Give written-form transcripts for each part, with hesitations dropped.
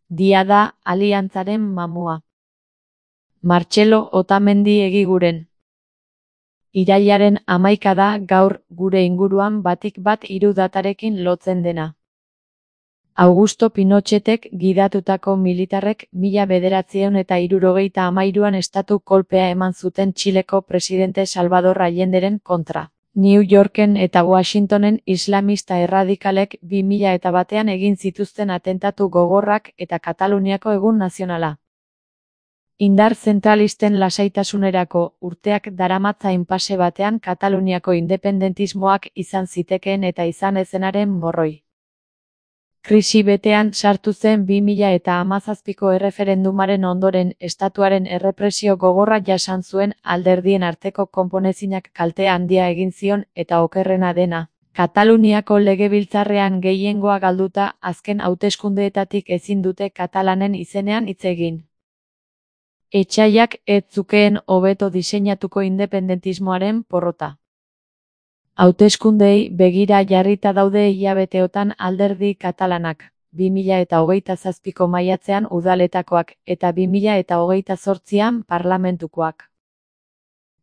Dia da aliantzaren mamua. Martxelo Otamendi Egiguren. Irailaren 11 da gaur gure inguruan batik bat 3 datarekin lotzen dena. Augusto Pinochetek gidatutako militarrek 1973an estatu kolpea eman zuten Txileko presidente Salvador Allenderen kontra. New Yorken eta Washingtonen islamista erradikalek 2001an egin zituzten atentatu gogorrak eta Kataluniako egun nazionala. Indar zentralisten lasaitasunerako urteak daramatza inpase batean Kataluniako independentismoak izan zitekeen eta izan ezenaren morroi. Krisi betean sartu zen 2017ko erreferendumaren ondoren estatuaren errepresio gogorra jasan zuen alderdien arteko konponezinak kalte handia egin zion eta okerrena dena. Kataluniako legebiltzarrean gehiengoa galduta azken hauteskundeetatik ezin dute katalanen izenean hitz egin. Etsaiak ez zukeen hobeto diseinatuko independentismoaren porrota. Hauteskundeei begira jarrita daude hilabeteotan alderdi katalanak, 2027ko maiatzean udaletakoak eta 2028an parlamentukoak.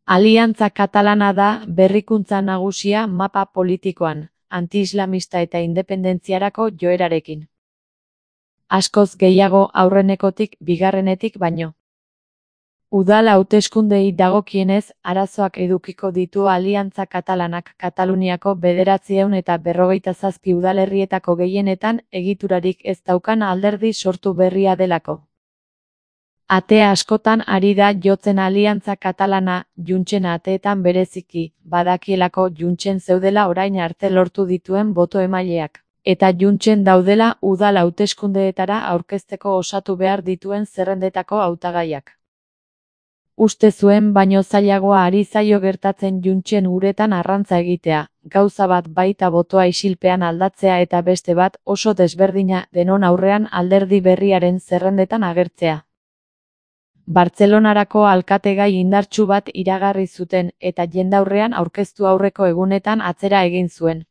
Aliantza Katalana da berrikuntza nagusia mapa politikoan, anti-islamista eta independentziarako joerarekin. Askoz gehiago aurrenekotik bigarrenetik baino. Udal hauteskundei dagokienez, arazoak edukiko ditu Aliantza Katalanak Kataluniako 957 udalerrietako gehienetan egiturarik ez daukan alderdi sortu berria delako. Ate askotan ari da jotzen Aliantza Katalana, Juntsen ateetan bereziki, badakielako Juntsen zeudela orain arte lortu dituen boto emaileak, eta Juntsen daudela udal hauteskundeetara aurkezteko osatu behar dituen zerrendetako hautagaiak. Uste zuen baino zailagoa ari zaio gertatzen Juntsen uretan arrantza egitea, gauza bat baita botoa isilpean aldatzea eta beste bat oso desberdina denon aurrean alderdi berriaren zerrendetan agertzea. Bartzelonarako alkategai indartsu bat iragarri zuten eta jendaurrean aurkeztu aurreko egunetan atzera egin zuen.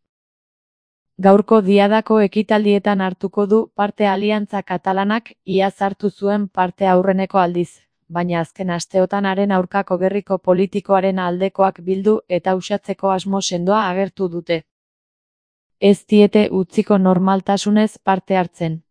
Gaurko diadako ekitaldietan hartuko du parte Aliantza Katalanak iaz hartu zuen parte aurreneko aldiz. Baina azken asteotan haren aurkako gerriko politikoaren aldekoak bildu eta uxatzeko asmo sendoa agertu dute. Ez diete utziko normaltasunez parte hartzen.